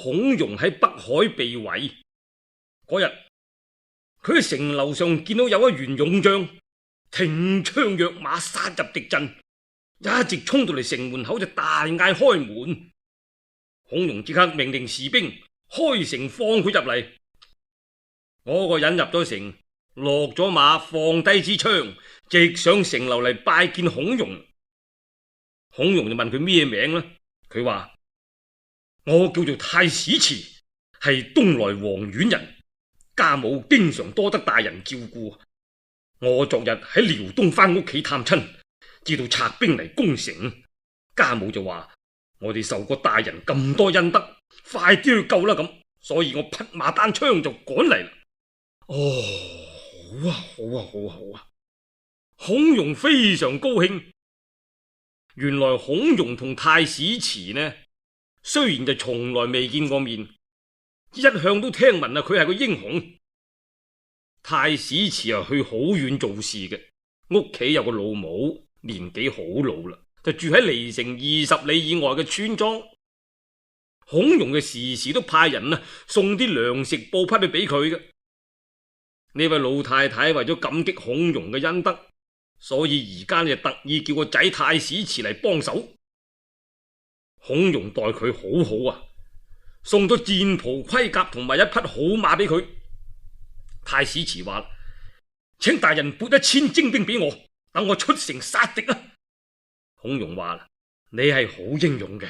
孔融喺北海被圍嗰日，佢喺城樓上見到有一員勇將挺槍躍馬殺入敵陣，一直衝到嚟城門口就大嗌開門。孔融即刻命令士兵開城放佢入嚟。嗰個人入咗城，落咗馬，放低支槍，直上城樓嚟拜見孔融。孔融就問佢咩名呢？佢話：我叫做太史慈，係東來黃縣人，家母經常多得大人照顧。我昨日喺遼東翻屋企探親，知道賊兵嚟攻城，家母就話我哋受過大人咁多恩德，快啲去救啦咁，所以我匹馬單槍就趕嚟啦。哦，好啊，好啊，好啊，好啊！孔融非常高興。原來孔融同太史慈呢，雖然就從來未見過面，一向都聽聞佢係個英雄。太史慈去好遠做事嘅，屋企有個老母，年紀好老啦，就住喺離城20里以外嘅村莊。孔融嘅時時都派人送啲糧食布匹去俾佢嘅。呢位老太太為咗感激孔融嘅恩德，所以而家就特意叫個仔太史慈嚟幫手。孔融待佢好好啊，送咗戰袍盔甲同埋一匹好馬俾佢。太史慈話：請大人撥1000精兵俾我，等我出城殺敵啊！孔融話：你係好英勇嘅，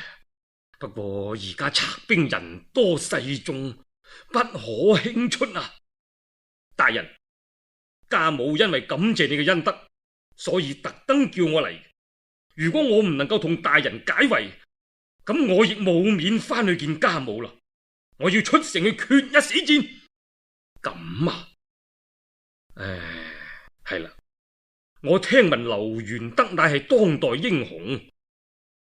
不過而家賊兵人多勢眾，不可輕出啊！大人，家母因為感謝你嘅恩德，所以特登叫我嚟。如果我唔能夠同大人解圍，咁我亦冇面翻去見家母啦。我要出城去決一死戰。咁啊？係啦，我聽聞劉元德乃係當代英雄，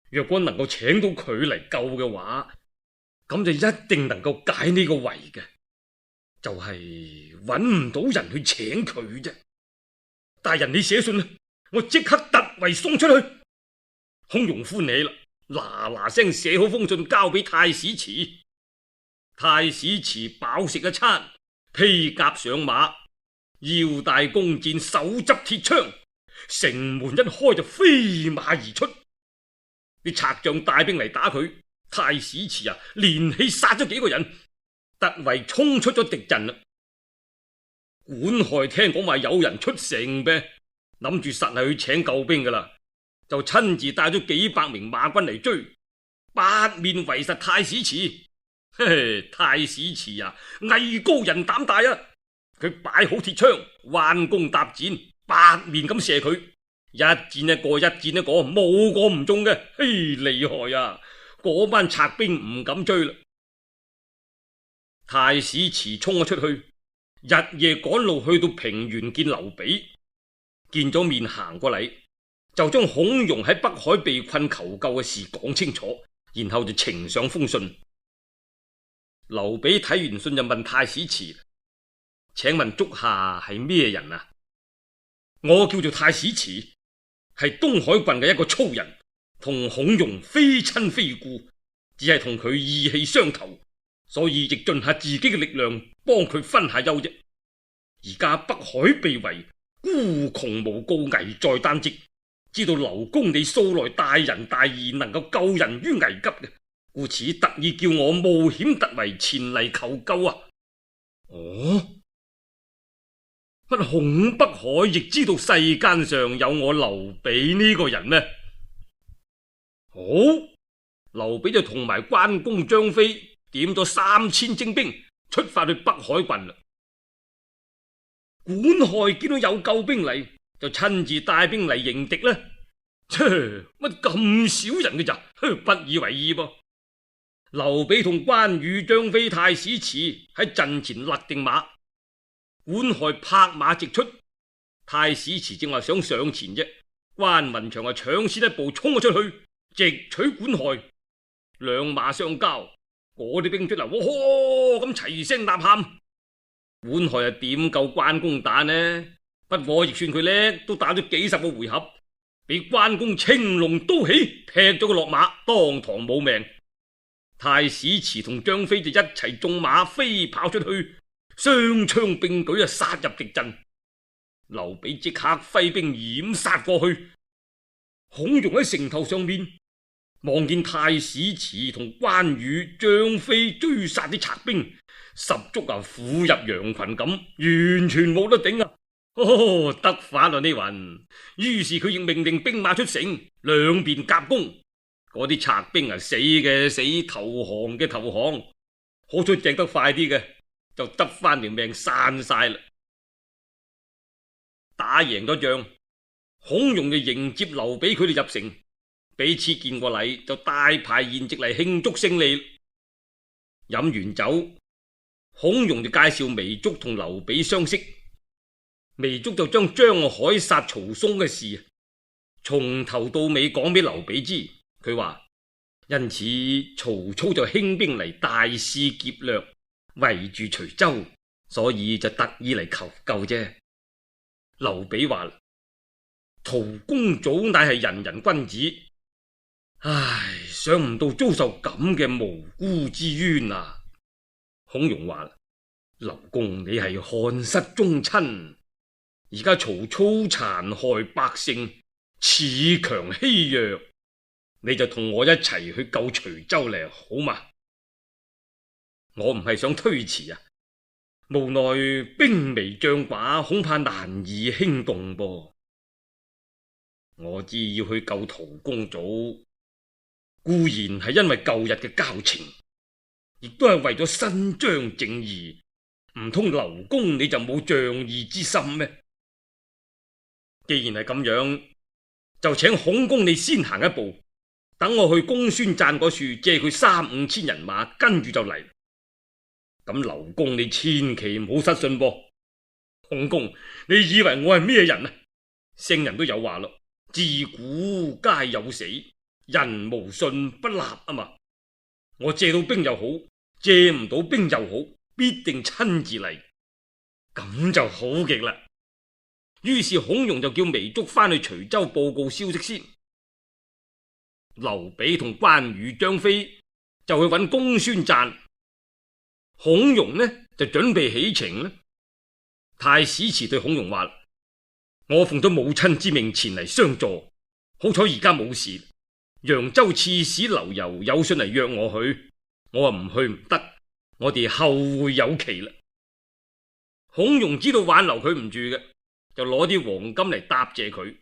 若果能夠請到佢嚟救嘅話，咁就一定能夠解呢個圍嘅。就係揾唔到人去請佢啫。大人，你寫信啦，我即刻突圍送出去。孔融歡喜啦，嗱嗱聲寫好封信交俾太史慈。太史慈飽食一餐，披甲上馬，腰帶弓箭，手執鐵槍，城門一開就飛馬而出。啲賊將帶兵嚟打佢，太史慈連氣殺咗幾個人，突圍衝出咗敵陣啦。管亥聽講話有人出城唄，諗住實係去請救兵噶啦，就親自帶咗幾百名馬軍嚟追，八面圍實太史慈。太史慈藝高人膽大啊！佢擺好鐵槍，彎弓搭箭，八面咁射佢，一箭一個，一箭一個，冇個唔中嘅。厲害啊！嗰班賊兵唔敢追啦。太史慈衝咗出去，日夜趕路去到平原見劉備，見咗面行過嚟，就將孔融喺北海被困求救嘅事講清楚，然後就呈上封信。劉備睇完信就問太史慈：請問足下係咩人啊？我叫做太史慈，係東海郡嘅一個粗人，同孔融非親非故，只係同佢義氣相投，所以亦盡下自己嘅力量幫佢分下憂啫。而家北海被圍，孤窮無告，危在旦夕，知道劉公你素來大仁大義，能夠救人於危急嘅，故此特意叫我冒險突圍前嚟求救啊！哦，不孔北海亦知道世間上有我劉備呢個人咩？好，劉備就同埋關公張飛點咗3000精兵出發去北海郡啦。管亥見到有救兵嚟，就親自帶兵嚟迎敵啦。乜咁少人嘅咋？不以為意噃。劉備同關羽、張飛、太史慈喺陣前勒定馬，管亥拍馬直出。太史慈正話想上前啫，關雲長搶先一步衝咗出去，直取管亥。兩馬相交，嗰啲兵卒哇咁齊聲吶喊。管亥點救關公打呢？不過亦算佢叻，都打咗幾十個回合，俾關公青龍刀起，劈咗佢落馬，當堂冇命。太史慈同張飛就一齊縱馬飛跑出去，雙槍並舉殺入敵陣。劉備即刻揮兵掩殺過去。孔融喺城頭上面望見太史慈同關羽、張飛追殺啲賊兵，十足虎入羊群咁，完全冇得頂啊！得法啦呢云。於是佢亦命令兵馬出城，兩邊夾攻。嗰啲賊兵死嘅死，投降嘅投降，好彩掟得快啲嘅就得翻條命散晒啦。打贏咗仗，孔融就迎接劉備佢哋入城，彼此見過禮，就大排筵席嚟慶祝勝利。飲完酒，孔融就介紹糜竺同劉備相識。糜竺就將張海殺曹嵩嘅事從頭到尾講俾劉備知。佢話因此曹操就興兵嚟大肆劫掠，圍住徐州，所以就特意嚟求救啫。劉備話陶公祖乃係仁人君子，唉，想唔到遭受咁嘅無辜之冤啊！孔融話劉公你係漢室宗親，而家曹操殘害百姓，恃強欺弱，你就同我一齊去救徐州嚟好嘛？我唔係想推辭啊，無奈兵微將寡，恐怕難以輕動噃。我知要去救陶公祖，固然係因為舊日嘅交情，亦都係為咗伸張正義。唔通劉公你就冇仗義之心咩？既然係咁樣，就請孔公你先行一步，等我去公孫瓚嗰處借佢3-5千人馬，跟住就嚟。咁劉公你千祈唔好失信噃。孔公，你以為我係咩人啊？聖人都有話咯，自古皆有死，人無信不立啊嘛。我借到兵又好，借唔到兵又好，必定親自嚟，咁就好極啦。於是孔融就叫糜竺翻去徐州報告消息先。劉備同關羽、張飛就去揾公孫瓚，孔融呢就準備起程啦。太史慈對孔融話：我奉咗母親之命前嚟相助，好彩而家冇事。揚州刺史劉繇有信嚟約我去，我話唔去唔得，我哋後會有期啦。孔融知道挽留佢唔住嘅，就攞啲黃金嚟答謝佢。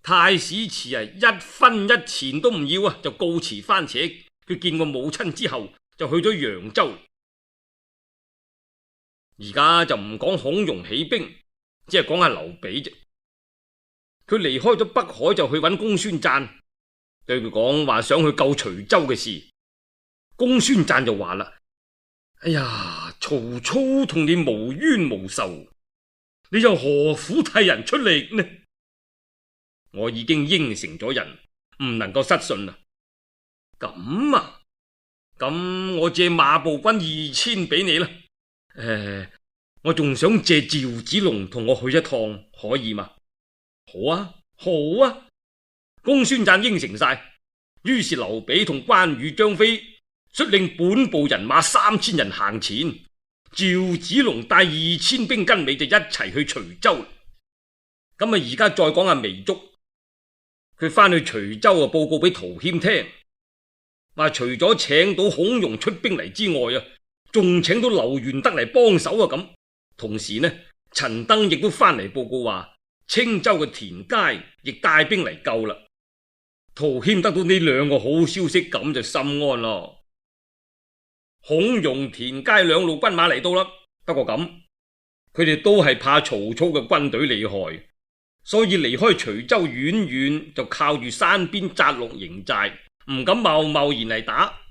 太史慈一分一錢都唔要啊，就告辭番扯。佢見過母親之後，就去咗揚州。而家就唔講孔融起兵，只係講下劉備啫。佢離開咗北海，就去揾公孫瓚，對佢講話想去救徐州嘅事。公孫瓚就話啦：哎呀，曹操同你無冤無仇，你又何苦替人出力呢？我已經應承咗人，唔能夠失信啦。咁啊，咁我借馬步軍2000俾你啦。我仲想借趙子龍同我去一趟，可以嗎？好啊，好啊。公孫瓚應承晒。於是劉備同關羽、張飛率領本部人馬3000人行前，趙子龍帶2000兵跟尾就一齊去徐州。咁啊，而家再講下糜竺，佢翻去徐州啊，報告俾陶謙聽，話除咗請到孔融出兵嚟之外啊，仲請到劉玄德嚟幫手啊。咁同時呢，陳登亦都翻嚟報告話，青州嘅田階亦帶兵嚟救啦。陶謙得到呢2個好消息，咁就心安咯。孔融、田階2路軍馬嚟到啦，不過咁，佢哋都係怕曹操嘅軍隊厲害，所以離開徐州遠遠，就靠住山邊紮落營寨，唔敢貿貿然嚟打。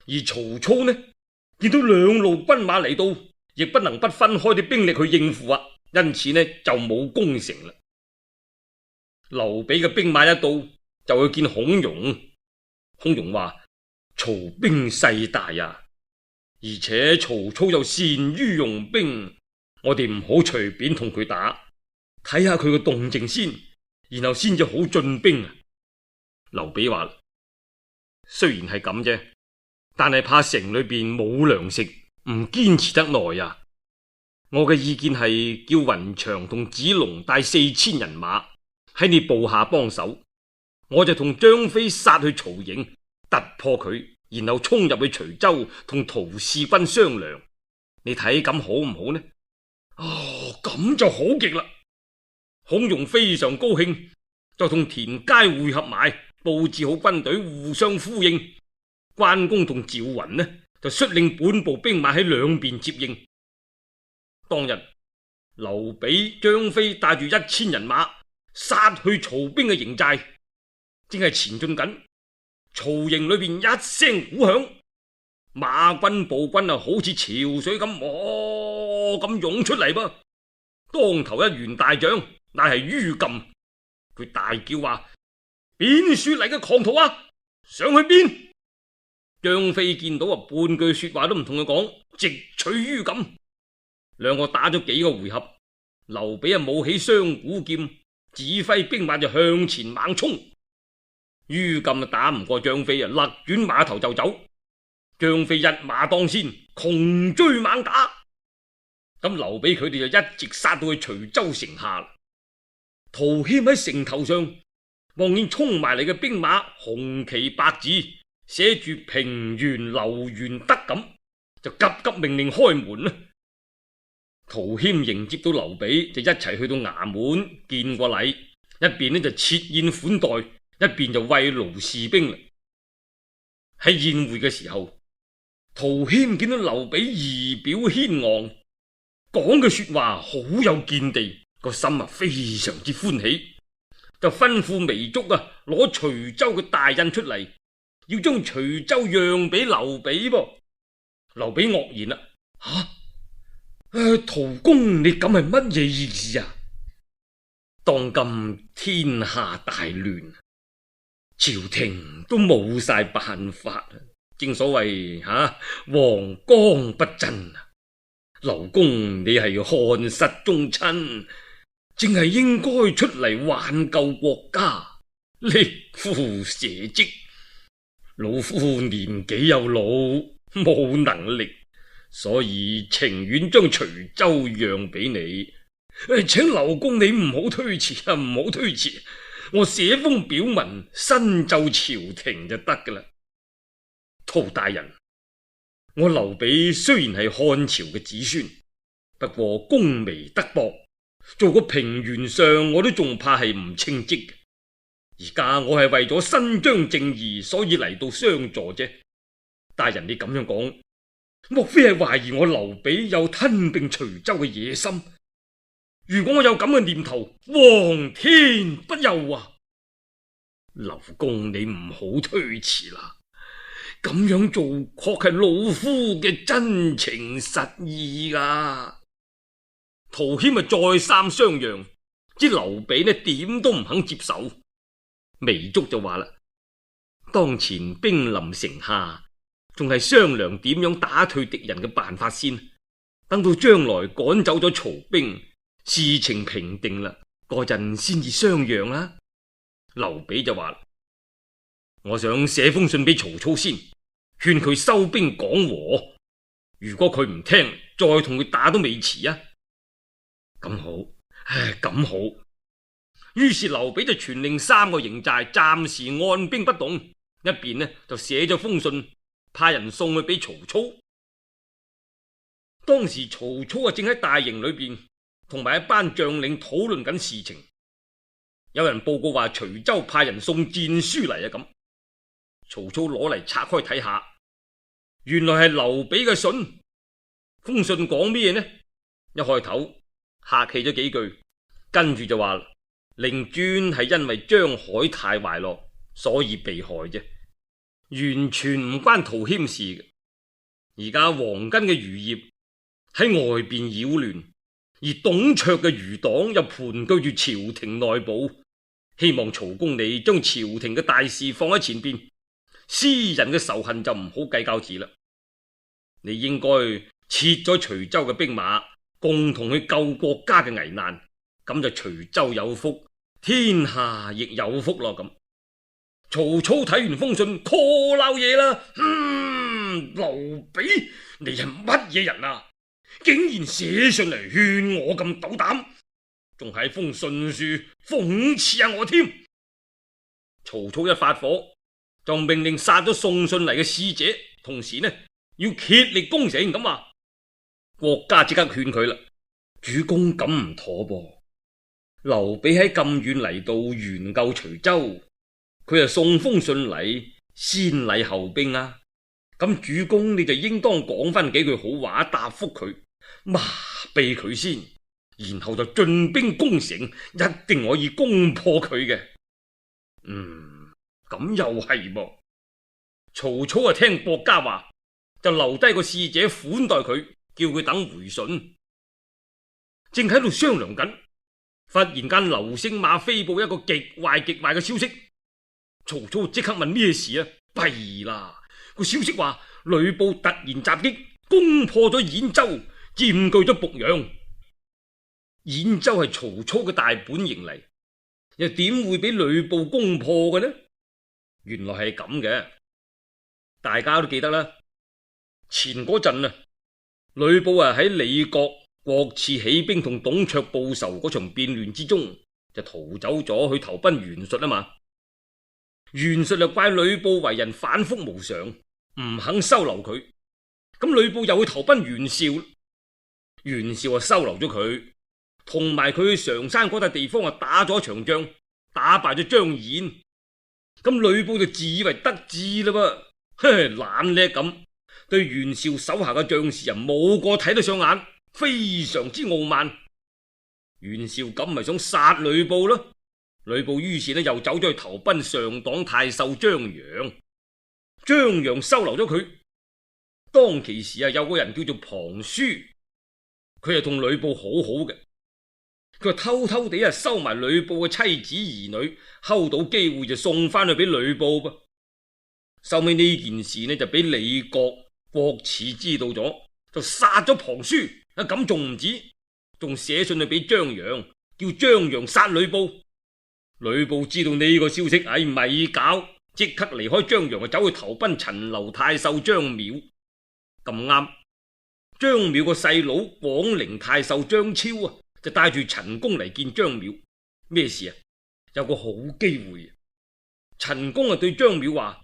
而曹操呢，見到2路軍馬嚟到，亦不能不分開啲兵力去應付啊，因此呢就冇攻城啦。劉備嘅兵馬一到，就去見孔融。孔融話：曹兵勢大啊，而且曹操又善於用兵，我哋唔好隨便同佢打，睇下佢個動靜先，然後先至好進兵啊。劉備話：雖然係咁啫，但係怕城裏邊冇糧食，唔堅持得耐啊。我嘅意見係叫雲長同子龍帶4000人馬喺你部下幫手，我就同張飛殺去曹營，突破佢，然後衝入去徐州同陶氏軍商量。你睇咁好唔好呢？哦，咁就好極啦！孔融非常高興，就同田佳會合埋，布置好軍隊互相呼應。關公同趙雲呢就率領本部兵馬喺兩邊接應。當日劉備、張飛帶住1000人馬殺去曹兵嘅營寨，正係前進緊。曹營裏邊一聲鼓響，馬軍步軍啊，好似潮水咁咁湧出嚟噃。當頭一員大將，乃係于禁，佢大叫話：邊說嚟嘅狂徒啊，想去邊？張飛見到啊，半句說話都唔同佢講，直取于禁。兩個打咗幾個回合，劉備啊舞起雙股劍，指揮兵馬就向前猛衝。于禁打唔過張飛啊，勒轉馬頭就走。張飛一馬當先，窮追猛打。咁劉備佢哋就一直殺到去徐州城下。陶謙喺城頭上望見衝埋嚟嘅兵馬，紅旗白字寫住平原劉元德咁，就急急命令開門啦。陶謙迎接到劉備，就一齊去到衙門見過禮，一邊呢就設宴款待，一邊就慰勞士兵啦。喺宴會嘅時候，陶謙見到劉備儀表軒昂，講嘅說話好有見地，個心啊非常之歡喜，就吩咐糜竺啊攞徐州嘅大印出嚟，要將徐州讓俾劉備噃。劉備愕然啦，陶公你咁係乜嘢意思啊？當今天下大亂，朝廷都冇晒辦法，正所謂王光不振啊！劉公你係漢室宗親，正係應該出嚟挽救國家，力扶社稷。老夫年紀又老，冇能力，所以情願將徐州讓俾你。請劉公你唔好推辭啊，唔好推辭，我寫封表文申奏朝廷就得噶啦。陶大人，我劉備雖然係漢朝嘅子孫，不過功微德薄，做個平原上我都仲怕係唔稱職嘅。而家我係為咗伸張正義，所以嚟到相助啫。大人你咁樣講，莫非係懷疑我劉備有吞併徐州嘅野心？如果我有咁嘅念頭，皇天不佑啊！劉公你唔好推辭啦，咁樣做確係老夫嘅真情實意啊！陶謙再三相讓，知劉備呢點都唔肯接受。糜竺就話啦：當前兵臨城下，仲係商量點樣打退敵人嘅辦法先，等到將來趕走咗曹兵，事情平定啦，嗰陣先至商量啦。劉備就話：我想寫封信俾曹操先，勸佢收兵講和。如果佢唔聽，再同佢打都未遲啊！咁好，咁好。於是劉備就傳令3個營寨暫時按兵不動，一邊呢就寫咗封信，派人送去俾曹操。當時曹操正喺大營裏邊，同埋一班將領討論緊事情。有人報告話徐州派人送戰書嚟啊！咁曹操攞嚟拆開睇下，原來係劉備嘅信。封信講咩呢？一開頭客氣咗幾句，跟住就話令尊係因為張海太壞落，所以被害啫，完全唔關陶謙事嘅。而家黃巾嘅餘孽喺外邊擾亂，而董卓嘅餘黨又盤踞住朝廷內部，希望曹公你將朝廷嘅大事放喺前邊，私人嘅仇恨就唔好計較字啦。你應該撤咗徐州嘅兵馬，共同去救國家嘅危難，咁就徐州有福，天下亦有福咯。咁曹操睇完封信，call 老爺啦，劉備，你係乜嘢人啊？竟然寫上嚟勸我咁斗膽，仲係封信書諷刺下我添。曹操一發火，就命令殺咗送信嚟嘅使者，同時呢要竭力攻城咁話。郭嘉即刻勸佢啦，主公咁唔妥噃。劉備喺咁遠嚟到援救徐州，佢又送封信嚟，先禮後兵啊。咁主公你就應當講翻幾句好話答覆佢，麻痹佢先，然後就進兵攻城，一定可以攻破佢嘅。咁又係噃。曹操啊聽郭嘉話，就留低個使者款待佢，叫佢等回信。正喺度商量緊，忽然間劉星馬飛報一個極壞嘅消息。曹操即刻問咩事啊？弊啦！個消息話呂布突然襲擊，攻破咗兗州，佔據咗濮陽。兗州係曹操嘅大本營嚟，又點會俾呂布攻破嘅呢？原來係咁嘅，大家都記得啦。前嗰陣啊，呂布喺李傕、郭汜起兵同董卓報仇嗰場變亂之中，就逃走咗去投奔袁術啊嘛。袁術就怪呂布為人反覆無常，唔肯收留佢。咁呂布又去投奔袁紹，袁紹收留咗佢，同埋佢去常山嗰笪地方打咗場仗，打敗咗張彥。咁呂布就自以為得志啦噃，懶叻咁，對袁紹手下嘅將士冇個睇得上眼，非常之傲慢。袁紹咁咪想殺呂布咯。呂布於是又走咗去投奔上黨太守張楊，張楊收留咗佢。當其時有個人叫做龐舒，佢係同呂布好好嘅，佢偷偷地收埋呂布嘅妻子兒女，睺到機會就送翻去俾呂布噃。收尾呢件事就俾李傕、郭汜知道咗，就殺咗龐舒。咁仲唔止，仲寫信去俾張楊，叫張楊殺呂布。呂布知道呢個消息，咪搞，即刻離開張楊，走去投奔陳留太守張邈。咁啱，張邈個細佬廣陵太守張超就帶住陳宮嚟見張邈。咩事啊？有個好機會。陳宮對張邈話：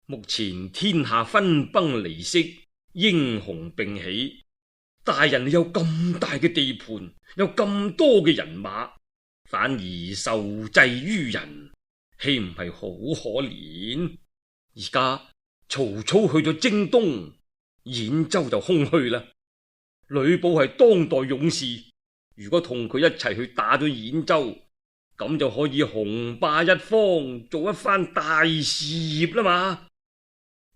目前天下分崩離析，英雄並起，大人有咁大嘅地盤，有咁多嘅人馬，反而受制於人，豈唔係好可憐？而家曹操去咗征東，兗州就空虛啦。呂布係當代勇士，如果同佢一齊去打咗兗州，咁就可以雄霸一方，做一番大事業啦嘛。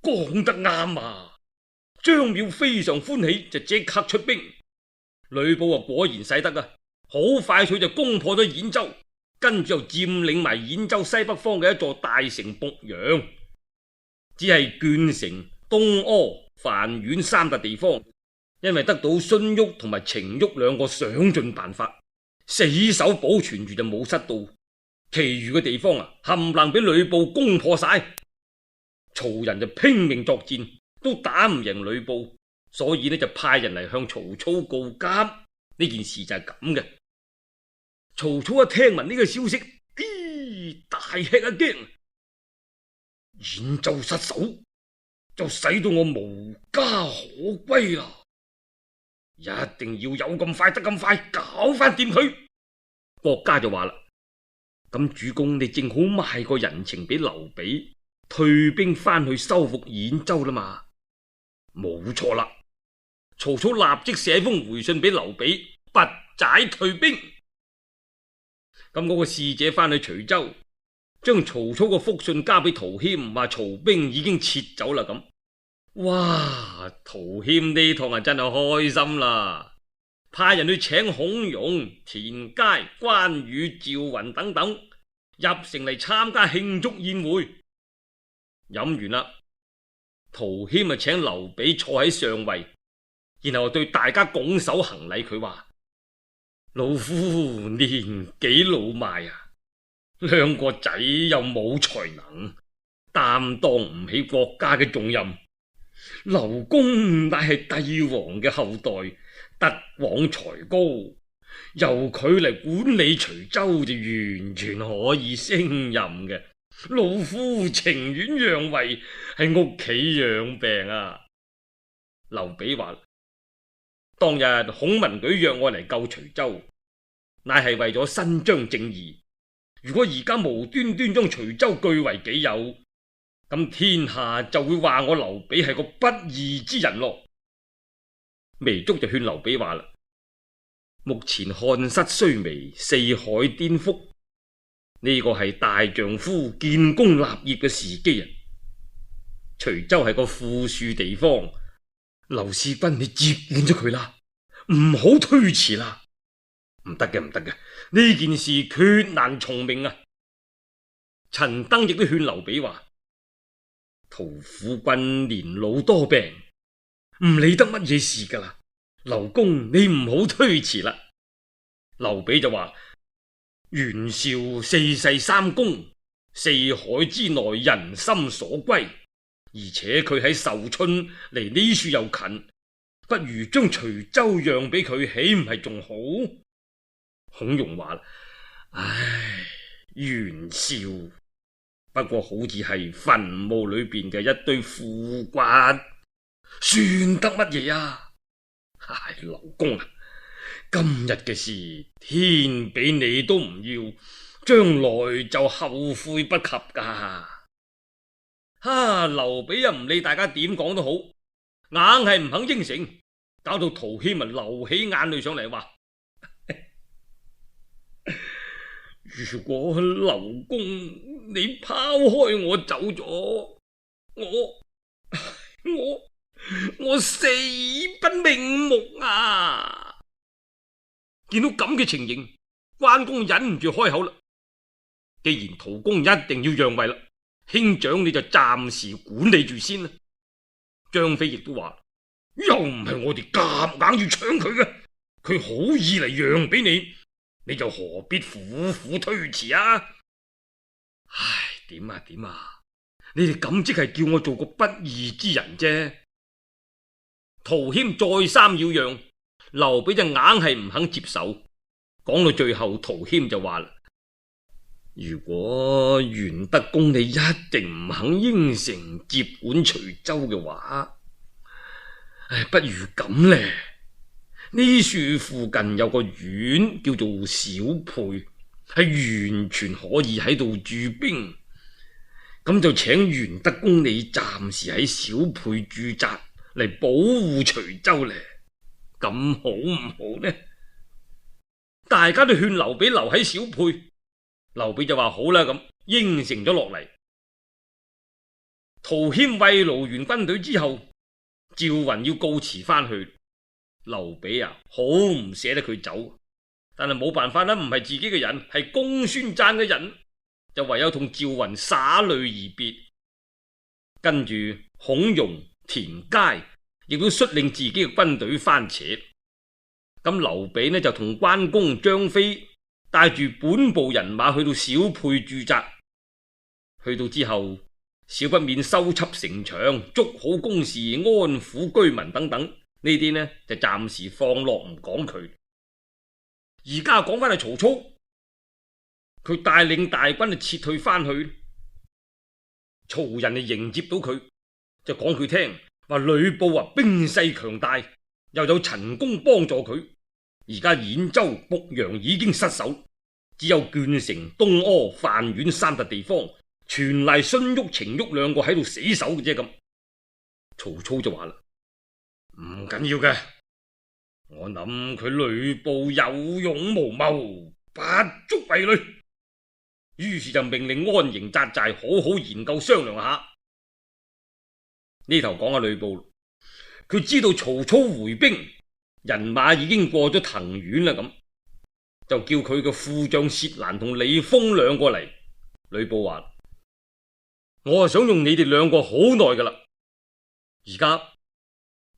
講得啱啊！張邈非常歡喜，就即刻出兵。呂布果然使得啊！好快脆就攻破咗兗州，跟住又佔領埋兗州西北方嘅一座大城濮陽。只係鄄城、東阿、樊縣三笪地方，因為得到荀彧同埋程昱兩個想盡辦法，死守保存住就冇失到。其餘嘅地方冚唪唥俾呂布攻破晒。曹人就拼命作戰，都打唔贏呂布，所以就派人嚟向曹操告急。呢件事就係咁嘅。曹操一聽聞呢個消息，大吃一驚。兗州失守，就使到我無家可歸啦！一定要有咁快得咁快，搞翻掂佢。郭嘉就話啦：咁主公你正好賣個人情俾劉備，退兵翻去收復兗州啦嘛。冇錯啦。曹操立即寫封回信俾劉備，拔寨退兵。咁嗰個使者翻去徐州，將曹操個覆信交俾陶謙，話曹兵已經撤走啦。咁，哇！陶謙呢趟真係開心啦，派人去請孔融、田佳、關羽、趙雲等等入城嚟參加慶祝宴會。飲完啦，陶謙請劉備坐喺上位，然後對大家拱手行禮。佢話：老夫年紀老邁兩個仔又冇才能，擔當唔起國家嘅重任，劉公乃係帝王嘅後代，德廣才高，由佢嚟管理徐州就完全可以勝任嘅。老夫情願讓位，喺屋企養病啊。劉備話：當日孔文舉約我嚟救徐州，乃係為咗伸張正義。如果而家無端端將徐州據為己有，咁天下就會話我劉備係個不義之人咯。糜竺就勸劉備話啦：目前漢室衰微，四海顛覆，呢個係大丈夫建功立業嘅時機啊！徐州係個富庶地方，劉使君你接管咗佢啦，唔好推遲啦。唔得嘅，唔得嘅，呢件事決難從命啊！陳登亦都勸劉備話：屠夫君年老多病，唔理得乜嘢事噶啦，劉公你唔好推遲啦。劉備就話：袁紹四世三公，四海之內人心所歸，而且佢喺壽春離呢處又近，不如將徐州讓俾佢，豈唔係仲好？孔融話：唉，袁紹不過好似係墳墓裏邊嘅一堆腐骨，算得乜嘢啊？唉，劉公啊，今日嘅事天俾你都唔要，將來就後悔不及噶。劉備又唔理大家點講都好，硬係唔肯應承，搞到陶謙流起眼淚上嚟，話：如果劉公你拋開我走咗，我死不瞑目啊！見到咁嘅情形，關公忍唔住開口啦。既然陶公一定要讓位啦，兄長你就暫時管理住先啦。張飛亦都話：又唔係我哋夾硬要搶佢嘅，佢好意嚟讓俾你，你就何必苦苦推遲啊？唉，點啊點啊，你哋咁即係叫我做個不義之人啫。陶謙再三要讓，劉備就硬係唔肯接受。講到最後，陶謙就話啦：如果袁德公你一定唔肯應承接管徐州嘅話，不如咁咧。呢處附近有個縣叫做小沛，係完全可以喺度駐兵。咁就請袁德公你暫時喺小沛駐紮嚟保護徐州咧，咁好唔好呢？大家都勸劉備留喺小沛，劉備就話好啦，咁應承咗落嚟。陶謙慰勞完軍隊之後，趙雲要告辭翻去。劉備好唔捨得佢走，但係冇辦法啦，唔係自己嘅人，係公孫瓚嘅人，就唯有同趙雲灑淚而別。跟住孔融、田階亦都率領自己嘅軍隊翻扯。咁劉備呢就同關公、張飛帶住本部人馬去到小沛駐紮。去到之後，少不免修葺城牆、築好工事、安撫居民等等。呢啲呢就暫時放落唔講佢。而家講翻係曹操，佢帶領大軍就撤退翻去。曹人就迎接到佢，就講佢聽話呂布兵勢強大，又有陳宮幫助佢。而家兗州、濮陽已經失守，只有鄄城、東阿、范縣三笪地方全賴荀彧、程昱兩個喺度死守嘅啫。咁曹操就話啦：唔緊要嘅，我諗佢呂布有勇無謀，不足為慮。於是就命令安營紮寨，好好研究商量下。呢頭講下呂布，佢知道曹操回兵，人馬已經過咗藤縣啦，咁就叫佢嘅副將薛蘭同李豐兩個嚟。呂布話：我想用你哋兩個好耐噶啦，而家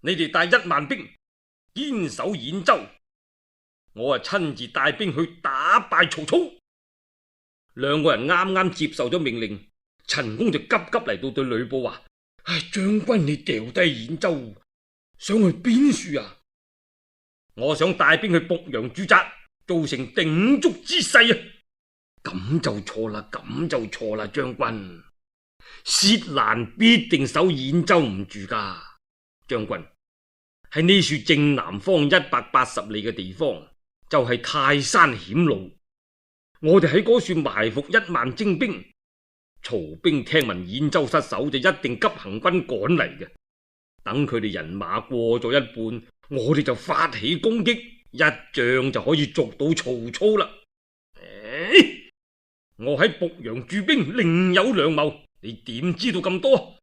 你哋帶1萬兵堅守兗州，我親自帶兵去打敗曹操。兩個人啱啱接受咗命令，陳宮就急急嚟到對呂布話：唉，將軍你掉低兗州，想去邊處啊？我想帶兵去濮陽駐紮，造成鼎足之勢啊！咁就錯啦，咁就錯啦，將軍，薛蘭必定守兗州唔住噶。將軍，喺呢處正南方180里嘅地方，就係泰山險路。我哋喺嗰處埋伏1萬精兵，曹兵聽聞兗州失守，就一定急行軍趕嚟嘅。等佢哋人馬過咗一半，我哋就發起攻擊，一仗就可以捉到曹操啦。我喺濮陽駐兵另有良謀，你點知道咁多？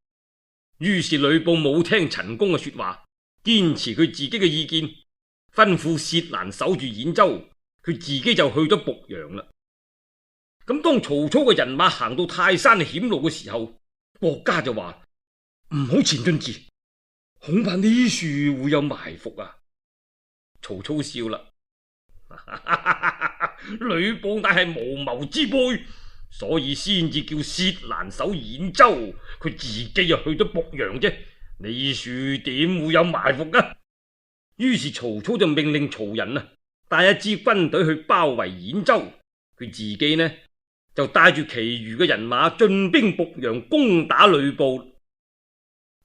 於是呂布冇聽陳宮嘅說話，堅持佢自己嘅意見，吩咐薛蘭守住兗州，佢自己就去咗濮陽啦。咁當曹操嘅人馬行到泰山險路嘅時候，郭嘉就話唔好前進住，恐怕呢處會有埋伏啊！曹操笑啦，呂布乃係無謀之輩，所以先至叫薛蘭守兗州，佢自己又去咗濮陽啫。呢處點會有埋伏啊？於是曹操就命令曹仁帶一支軍隊去包圍兗州，佢自己呢就帶住其餘嘅人馬進兵濮陽，攻打呂布。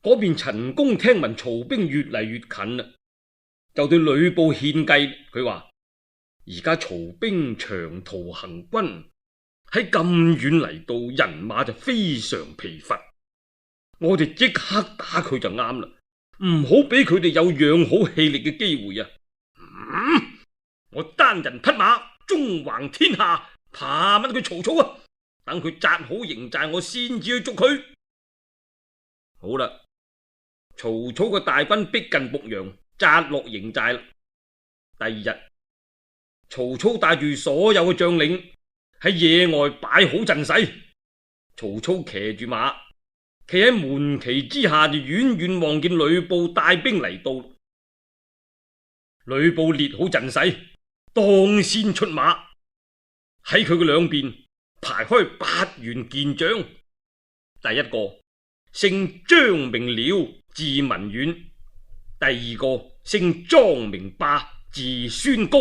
嗰邊陳宮聽聞曹兵越嚟越近啦，就對呂布獻計，佢話而家曹兵長途行軍，喺咁遠嚟到，人馬就非常疲乏，我哋即刻打佢就啱啦，唔好俾佢哋有養好氣力嘅機會啊！我單人匹馬縱橫天下，怕乜佢曹操啊？等佢紮好營寨，我先至去捉佢。好啦，曹操嘅大軍逼近濮陽，紮落營寨啦。第二日，曹操帶住所有嘅將領喺野外擺好陣勢。曹操騎住馬，企喺門旗之下，就遠遠望見呂布帶兵嚟到。呂布列好陣勢，當先出馬，喺佢嘅兩邊排開8員健將。第一個姓張名遼，字文遠；第二個姓莊名霸，字孫高。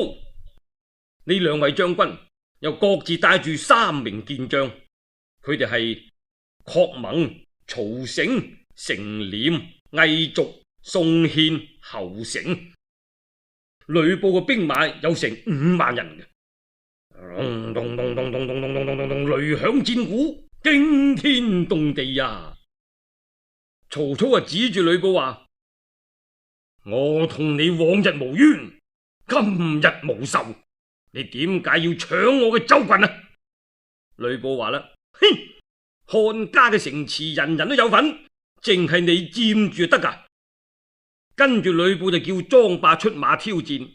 呢2位將軍又各自帶住3名健將，佢哋係郝萌、曹成、成廉、魏續、宋憲、侯成。呂布嘅兵馬有成5萬人嘅，咚咚咚咚咚咚咚咚咚咚咚，雷響戰鼓，驚天動地呀！曹操啊，指住呂布話：我同你往日無冤，今日無仇，你點解要搶我嘅州郡啊？呂布話啦：哼，漢家嘅城池人人都有份，淨係你佔住就得噶。跟住呂布就叫莊霸出馬挑戰，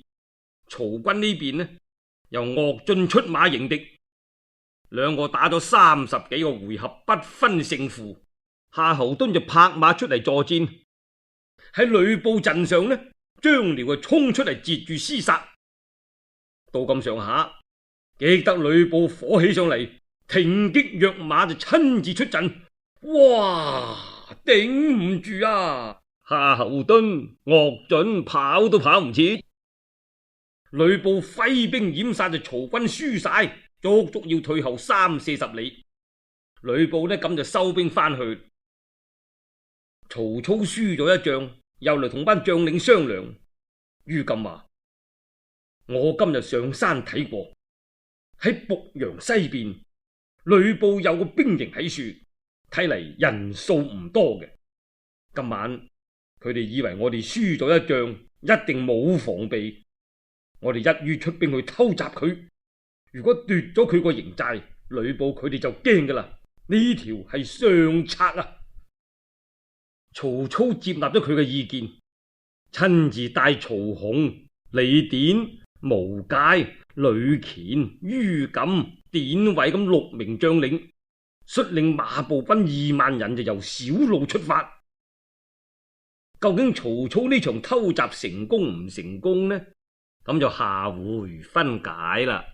曹軍呢邊呢由岳進出馬迎敵。2個打咗30幾個回合，不分勝負。夏侯惇就拍馬出嚟助戰。喺呂布陣上呢，張遼就衝出嚟截住廝殺。到咁上下，激得呂布火起上嚟，停擊躍馬就親自出陣。哇，頂唔住啊！夏侯惇、岳進跑都跑唔切，呂布揮兵掩殺，就曹軍輸晒，足足要退後30-40里。呂布呢咁就收兵翻去。曹操輸咗一仗，又嚟同班將領商量。于禁話：我今日上山睇過，喺濮陽西邊，呂布有個兵營喺處，睇嚟人數唔多嘅。今晚佢哋以為我哋輸咗一仗，一定冇防備，我哋一於出兵去偷襲佢。如果奪咗佢個營寨，呂布佢哋就驚噶啦。呢條係上策啊！曹操接納咗佢嘅意見，親自帶曹洪、李典、毛玠、呂虔、于禁、典韋咁6名將領，率領馬步軍2萬人，就由小路出發。究竟曹操呢場偷襲成功唔成功呢？咁就下回分解啦。